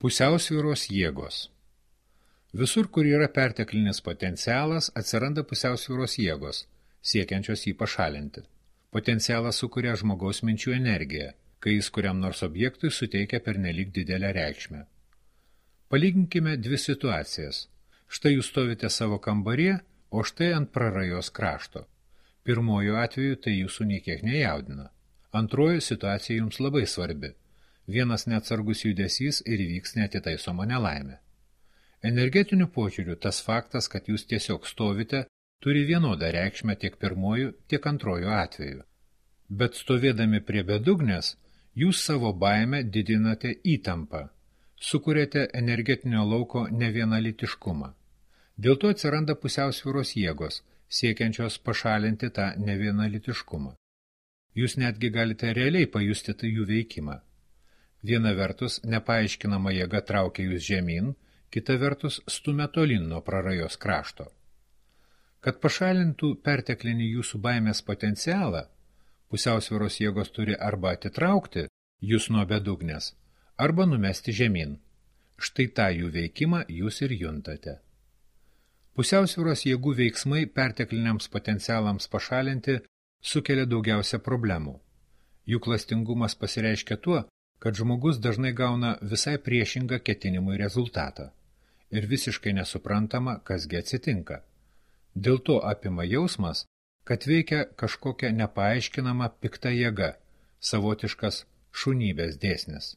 Pusiausvyros jėgos. Visur, kur yra perteklinis potencialas, atsiranda pusiausvyros jėgos, siekiančios jį pašalinti. Potencialas sukuria žmogaus minčių energiją, kai jis kuriam nors objektui suteikia pernelyg didelę reikšmę. Palyginkime dvi situacijas. Štai jūs stovite savo kambaryje, o štai ant prarajos krašto. Pirmojo atveju tai jūsų niekiek nejaudina. Antrojo situacija jums labai svarbi. Vienas neatsargus judesys ir įvyks neatitaisoma nelaimė. Energetiniu požiūriu tas faktas, kad jūs tiesiog stovite, turi vienodą reikšmę tiek pirmoju, tiek antroju atveju. Bet stovėdami prie bedugnės, jūs savo baimę didinate įtampą, sukuriate energetinio lauko nevienalitiškumą. Dėl to atsiranda pusiausvyros jėgos, siekiančios pašalinti tą nevienalitiškumą. Jūs netgi galite realiai pajusti tai jų veikimą. Viena vertus nepaaiškinama jėga traukia jūs žemyn, kita vertus stumia tolyn nuo prarajos krašto. Kad pašalintų perteklinį jūsų baimės potencialą, pusiausvyros jėgos turi arba atitraukti jūs nuo bedugnės, arba numesti žemyn. Štai tą jų veikimą jūs ir juntate. Pusiausvyros jėgų veiksmai pertekliniams potencialams pašalinti sukelia daugiausia problemų. Jų klastingumas pasireiškia tuo, kad žmogus dažnai gauna visai priešingą ketinimui rezultatą ir visiškai nesuprantama, kasgi atsitinka. Dėl to apima jausmas, kad veikia kažkokia nepaaiškinama pikta jėga, savotiškas šunybės dėsnis.